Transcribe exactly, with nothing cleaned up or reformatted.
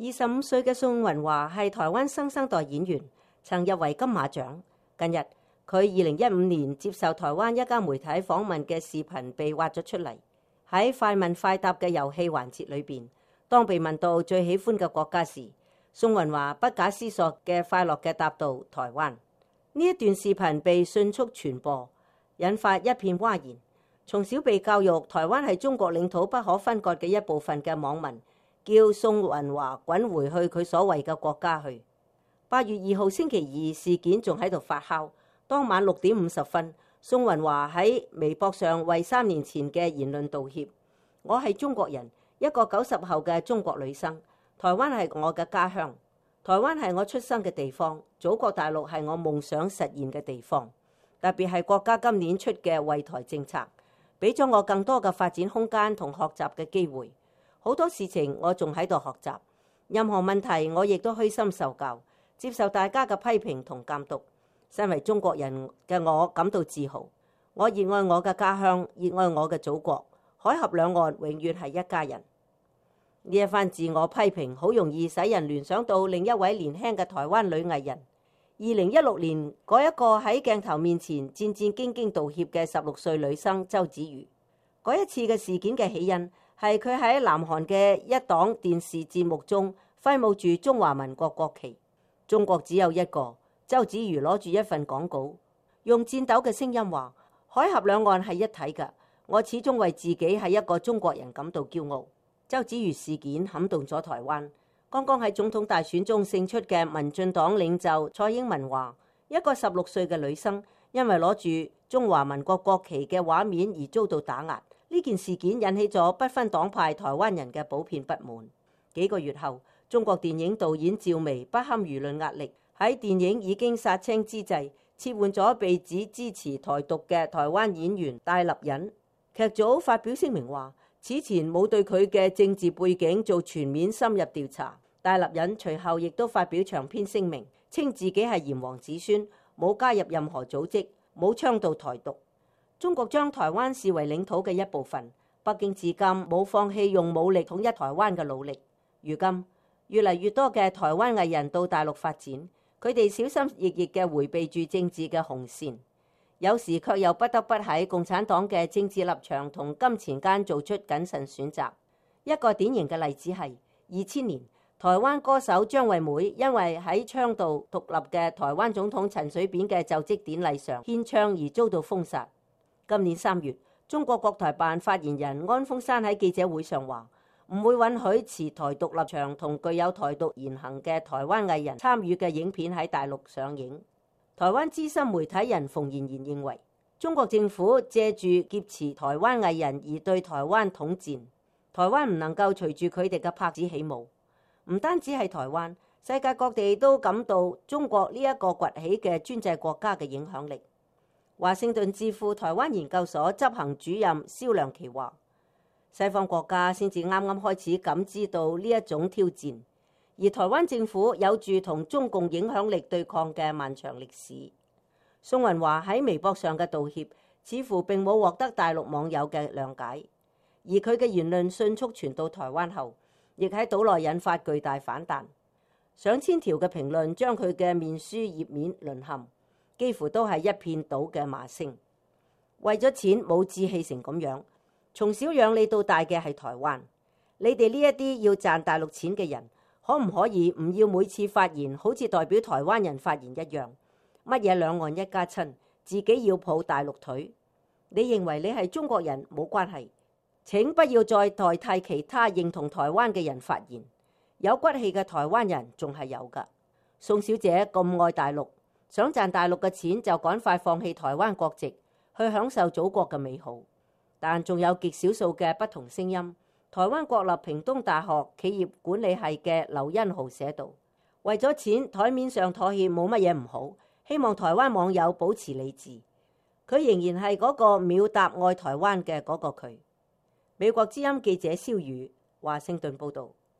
二十五歲嘅宋雲華係台灣新生代演員，曾入圍金馬獎。近日，佢二零一五年接受台灣一家媒體訪問嘅視頻被挖咗出嚟。喺快問快答嘅遊戲環節裏邊，當被問到最喜歡嘅國家時，宋雲華不假思索嘅快樂嘅答道台灣。呢一段視頻被迅速傳播，引發一片譁然。從小被教育台灣係中國領土不可分割嘅一部分嘅網民，叫宋雲華滾回去佢所謂嘅國家去。八月二號星期二，事件仲喺度發酵。當晚六點五十分，宋雲華喺微博上為三年前嘅言論道歉。我係中國人，一個九十後嘅中國女生。台灣係我嘅家鄉，台灣係我出生嘅地方，祖國大陸係我夢想實現嘅地方。特別係國家今年出嘅惠台政策，俾咗我更多嘅發展空間同學習嘅機會。好多事情我仲喺度學習，任何問題我亦都虛心受教，接受大家嘅批評同監督。身為中國人嘅我感到自豪，我熱愛我嘅家鄉，熱愛我嘅祖國，海峽兩岸永遠係一家人。呢一番自我批評好容易使人聯想到另一位年輕嘅台灣女藝人，二零一六年嗰一個喺鏡頭面前戰戰兢兢道歉嘅十六歲女生周子瑜。嗰一次嘅事件嘅起因係佢喺南韓嘅一檔電視節目中揮舞住中華民國國旗。中國只有一個，周子瑜攞住一份廣告，用顫抖嘅聲音話：海峽兩岸係一體㗎，我始終為自己係一個中國人感到驕傲。周子瑜事件撼動咗台灣。剛剛喺總統大選中勝出嘅民進黨領袖蔡英文話：一個十六歲嘅女生因為攞住中華民國國旗嘅畫面而遭到打壓。呢件事件引起咗不分黨派台灣人嘅普遍不滿。幾個月後，中國電影導演趙薇不堪輿論壓力，喺電影已經殺青之際，撤換咗被指支持台獨嘅台灣演員戴立忍。劇組發表聲明話，此前冇對佢嘅政治背景做全面深入調查。戴立忍隨後亦都發表長篇聲明，稱自己係炎黃子孫，冇加入任何組織，冇倡導台獨。中國將台灣視為領土嘅一部分，北京至今冇放棄用武力統一台灣嘅努力。如今越嚟越多嘅台灣藝人到大陸發展，佢哋小心翼翼嘅迴避住政治嘅紅線，有時卻又不得不喺共產黨嘅政治立場同金錢間做出謹慎選擇。一個典型嘅例子係二千年，台灣歌手張惠妹因為喺倡導獨立嘅台灣總統陳水扁嘅就職典禮上獻唱而遭到封殺。今年三月，中國國台辦發言人安峰山喺記者會上話，唔會允許持台獨立場同具有台獨言行嘅台灣藝人參與嘅影片喺大陸上映。台灣資深媒體人馮妍妍認為，中國政府借住劫持台灣藝人而對台灣統戰，台灣唔能夠隨住佢哋嘅拍子起舞。唔單止係台灣，世界各地都感到中國呢一個崛起嘅專制國家嘅影響力。華盛頓智庫台灣研究所執行主任蕭良琪話：西方國家先至啱啱開始感知到呢一種挑戰，而台灣政府有住同中共影響力對抗嘅漫長歷史。宋雲華喺微博上嘅道歉，似乎並冇獲得大陸網友嘅諒解，而佢嘅言論迅速傳到台灣後，亦喺島內引發巨大反彈。上千條嘅評論將佢嘅面書頁面淪陷。幾乎都係一片倒嘅罵聲。為咗錢冇志氣成咁樣，從小養你到大嘅係台灣。你哋呢一啲要賺大陸錢嘅人，可唔可以唔要每次發言好似代表台灣人發言一樣？乜嘢兩岸一家親，自己要抱大陸腿？你認為你係中國人冇關係，請不要再代替其他認同台灣嘅人發言。有骨氣嘅台灣人仲係有㗎。宋小姐咁愛大陸，想賺大陸嘅錢就趕快放棄台灣國籍，去享受祖國嘅美好。但仲有極少數嘅不同聲音。台灣國立屏東大學企業管理系嘅劉恩豪寫道：為咗錢，台面上妥協冇乜嘢唔好，希望台灣網友保持理智。佢仍然係嗰個秒答愛台灣嘅嗰個佢。美國之音記者蕭宇華盛頓報導。